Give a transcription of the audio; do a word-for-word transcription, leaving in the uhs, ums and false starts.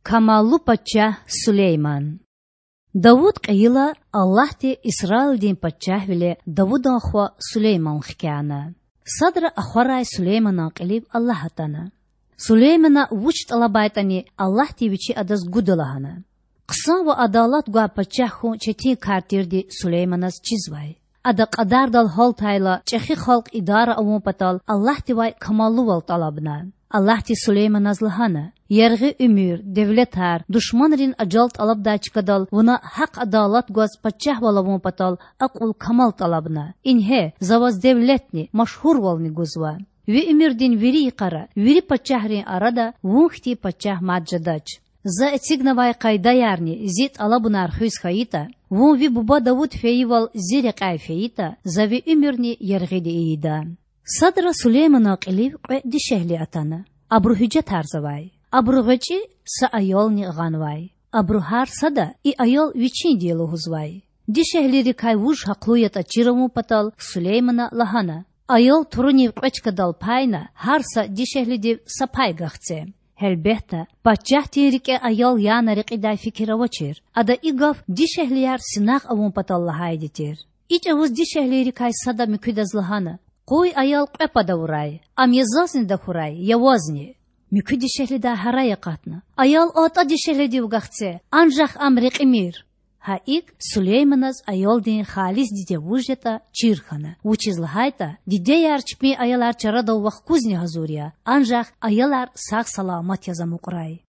Камаллу пачагь Сулейман. Давуд кьейила, Аллагьди Исраилдин пачагьвиле Давудан хва Сулейман хкяна. Садра ахварай Сулейманан кьилив Аллагь атана. Сулеймана вуч тІалабайтІани, Аллагьди Вичи адаз гуда лагьана. Хъсан ва адалат гвай пачагь хьун четин кар тирди Сулейманаз чизвай. Ада кьадардал гьалтайла, чІехи халкь идара авун патал Аллагьдивай камаллувал тІалабна. Аллагьди Сулейманаз лагьана: Яргъи уьмуьр, девлетар, душманрин ажал тІалабдай чкадал вуна гьахъ-адалат гваз пачагьвал авун патал акьул-камал тІалабна. Ингье, За ваз девлетни, машгьурвални гузва. Ви уьмуьрдин вири йикъара, вири пачагьрин арада вун хьтин пачагь мад жедач. За эцигнавай къайдаярни Зи тІалабунар хуьз хьайитІа, вун ви буба Давуд фейивал Зи рекьяй фейитІа, За ви уьмуьрни яргъиди ийида. Садра Сулейманан кьилив кьве дишегьли атана. Абуру гьуьжетарзавай. Абуру гъвечІи са аялни гъанвай. Абуру гьар сада и аял вичинди я лугьузвай. Дишегьлийрикай вуж гьахълу ятІа чир авун патал Сулеймана лагьана: Аял турунив кьве чкадал пайна, гьар са дишегьлидив са пай гахце. Гьелбетда, пачагьдин рикІе аял яна рекьидай фикир авачир. Ада и гаф дишегьлияр синагъ авун патал лагьайди тир. И чІавуз дишегьлийрикай сада муькуьдаз лагьана: Къуй аял кьве пад авурай, ам я зазни тахьурай, я вазни. Муькуь дишегьлидай гьарай акъатна: Аял атІа дишегьлидив гахце, анжах ам рекьимир. Гьа икІ Сулейманаз аялдин халис диде вуж ятІа чир хьана, вучиз лагьайтІа дидеяр чпин аялар чарадав вахкузни гьазур я, анжах аялар сагъ-саламат яз амукьрай.